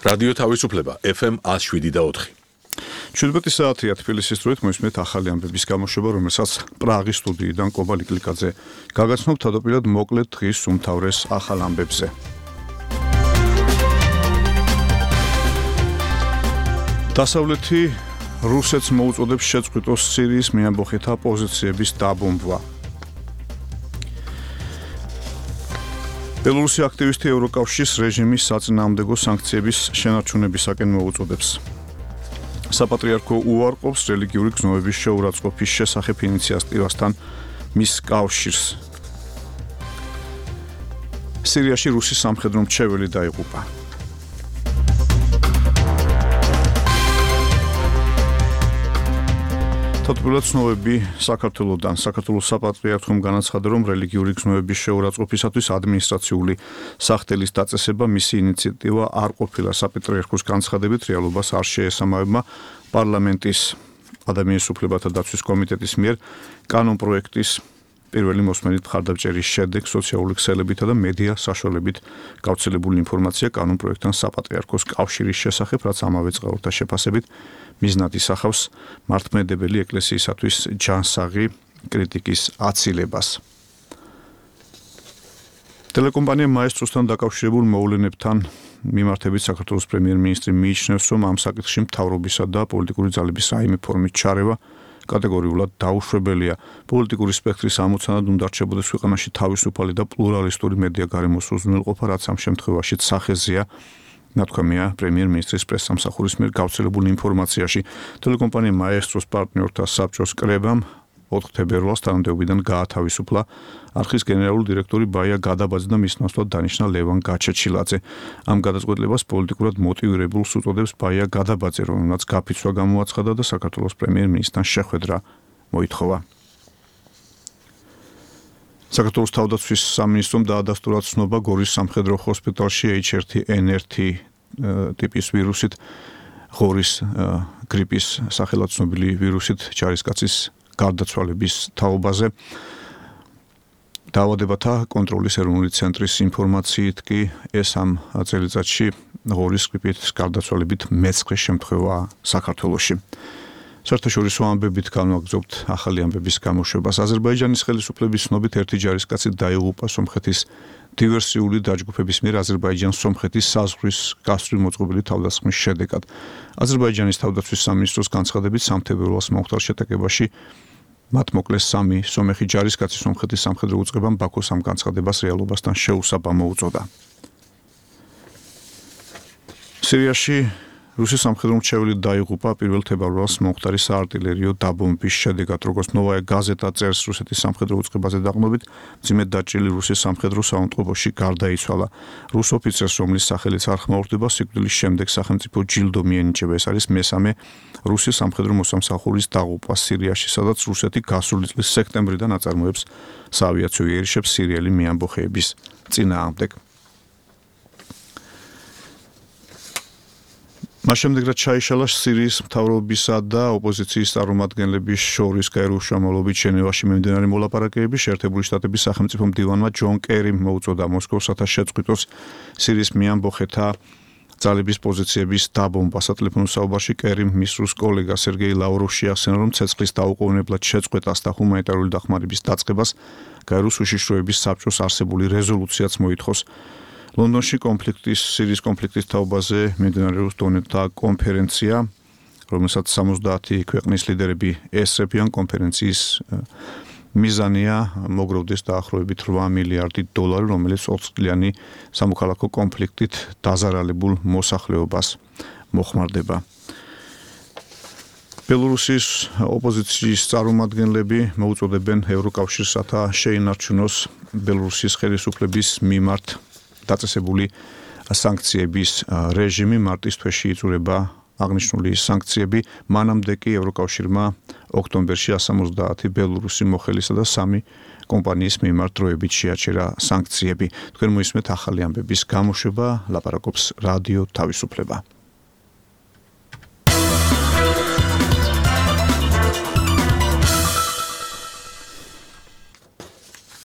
რადიო თავისუფლება FM 107.4. 17 საათია თბილისის დროით მოისმენთ ახალი ამბების გამოშვება, რომელსაც პრაღის სტუდიიდან კობა ლიკლიკაძე გაგაცნობ თავდაპირველად მოკლედ დღის უმთავრეს ახალ ამბებზე. დასავლეთი რუსეთს მოუწოდებს შეწყვიტოს სირიის მეამბოხეთა პოზიციების დაბომბვა. ბელორუსი აქტივისტი ევროკავშირის რეჟიმის საწინააღმდეგო სანქციების შენარჩუნებისაკენ მოუწოდებს. საპატრიარქო უარყოფს რელიგიური გზნობების შეურაცხყოფის შესახებ ინიციატივასთან მის კავშირს. სირიაში რუსი სამხედრო მრჩეველი დაიღუპა. თავდაპირველად ცნობები საქართველოსთან საქართველოს საპატრიარქომ განაცხადა, რომ რელიგიური გზნობების შეურაცხყოფისათვის ადმინისტრაციული სახთელის დაწესება მისი ინიციატივა არ ყოფილა საპატრიარქოს განცხადებით, რეალობას არ შეესაბამება პარლამენტის ადამიანის უფლებათა დაცვის კომიტეტის მიერ კანონპროექტის პირველი მოსმენით მხარდამჭერის შემდეგ სოციალური ქსელებითა და მედია საშუალებით გავრცელებული ინფორმაცია კანონპროექტთან საპატრიარქოს კავშირის შესახებ, რაც ამავე წყაროთა შეფასებით მიზნად ისახავს მართლმადიდებელი ეკლესიისათვის ჯანსაღი კრიტიკის აცილებას. ტელეკომპანია მაესტროსთან დაკავშირებულ მოვლენებთან მიმართებით საქართველოს პრემიერ-მინისტრი მიიჩნევს, რომ ამ საკითხში მთავრობისა და პოლიტიკური ძალების რაიმე ფორმით ჩარევა კატეგორიულად დაუშვებელია. პოლიტიკური სპექტრის ამოცანად უნდა რჩებოდეს ქვეყანაში თავისუფალი და პლურალისტური მედია გარემოს უზრუნველყოფა, რაც ამ შემთხვევაშიც სახეზეა, ნათქვამია პრემიერ-მინისტრის პრესსამსახურის მიერ გავრცელებული ინფორმაციაში. ტელეკომპანია მაესტროს პარტნიორთა საბჭოს კრებამ 4 თებერვალს თანამდებობიდან გაათავისუფლა არხის გენერალური დირექტორი ბაია გადაბაძე და მის ნაცვლად დანიშნა ლევან გაჩეჩილაძე. ამ გადაწყვეტილებას პოლიტიკურად მოტივირებულს უწოდებს ბაია გადაბაძე, რომელმაც გაფიცვა გამოაცხადა და საქართველოს პრემიერ-მინისტრთან შეხვედრა მოითხოვა. საქართველოს თავდაცვის სამინისტრომ დაადასტურა ცნობა გორის სამხედრო ჰოსპიტალში H1N1 ტიპის ვირუსით, ღორის გრიპის სახელად ცნობილი ვირუსით ჯარისკაცის გარდაცვალების თაობაზე. დაავადებათა კონტროლის ეროვნული ცენტრის ინფორმაციით კი ეს ამ წელიწადში ღორის გრიპით გარდაცვალებით მეცხრე შემთხვევაა საქართველოში. საერთაშორისო ამბებით განვაგრძობთ ახალი ამბების გამოშვებას. აზერბაიჯანის ხელისუფლების ცნობით ერთი ჯარისკაცი დაიღუპა სომხეთის დივერსიული დაჯგუფების მიერ აზერბაიჯან-სომხეთის საზღვრის გასწვრივ მოწყობილი თავდასხმის შედეგად. აზერბაიჯანის თავდაცვის სამინისტროს განცხადებით 3 თებერვალს მომხდარ შეტაკებაში მათ მოკლეს 3 სომეხი ჯარისკაცი. სომხეთის სამხედრო უწყებამ ბაქოს ამ განცხადებას რეალობასთან შეუსაბამო უწოდა. სირიაში რუსი სამხედრო მრჩეველი დაიღუპა 1 თებერვალს მომხდარი საარტილერიო დაბომბვის შედეგად. როგორც ნოვაია გაზეტა წერს, რუსეთის სამხედრო უწყებაზე დაყრდნობით მძიმედ დაჭრილი რუსის სამხედრო საავადმყოფოში გარდაიცვალა. რუს ოფიცერს, რომლის სახელიც არ ხმაურდება, სიკვდილის შემდეგ სახელმწიფო ჯილდო მიენიჭება. ეს არის მესამე რუსი სამხედრო მოსამსახურის დაღუპვა სირიაში, სადაც რუსეთი გასული წლის სექტემბრიდან აწარმოებს საავიაციო იერიშებს სირიელი მეამბოხეების წინააღმდეგ. მას შემდეგ რაც ჩაიშალა სირიის მთავრობისა და ოპოზიციის წარმომადგენლების შორის გაეროს შრომალობით ჟენევაში მიმდინარე მოლაპარაკებები, შეერთებული შტატების სახელმწიფო მდივანმა ჯონ კერიმ მოუწოდა მოსკოვს, რათა შეწყვიტოს სირიის მეამბოხეთა ძალების პოზიციების დაბომბვა. სატელეფონო საუბარში კერიმ მის რუს კოლეგა სერგეი ლავროვს შეახსენა, რომ ცეცხლის დაუყოვნებლად შეწყვეტას და ჰუმანიტარული დახმარების დაწყებას გაეროს უშიშროების საბჭოს არსებული რეზოლუციაც მოითხოვს. ლონდონში სირიის კონფლიქტის თაობაზე მიმდინარეობს დონეთა კონფერენცია, რომელსაც 70 ქვეყნის ლიდერები ესწრებიან. კონფერენციის მიზანია მოგროვდეს დაახლოებით $8 მილიარდი, რომელიც 4 წლიანი სამოქალაქო კონფლიქტით დაზარალებულ მოსახლეობას მოხმარდება. ბელორუსის ოპოზიციის წარმომადგენლები მოუწოდებენ ევროკავშირს, რათა შეინარჩუნოს ბელორუსის ხელისუფლების მიმართ დაწესებული სანქციების რეჟიმი. მარტის თვეში იწურება აღნიშნული სანქციები. მანამდე კი ევროკავშირმა ოქტომბერში 170 ბელორუსი მოხელისა და 3 კომპანიის მიმართ დროებით შეაჩერა სანქციები. თქვენ მოისმენთ ახალი ამბების გამოშვება, ლაპარაკობს რადიო თავისუფლება.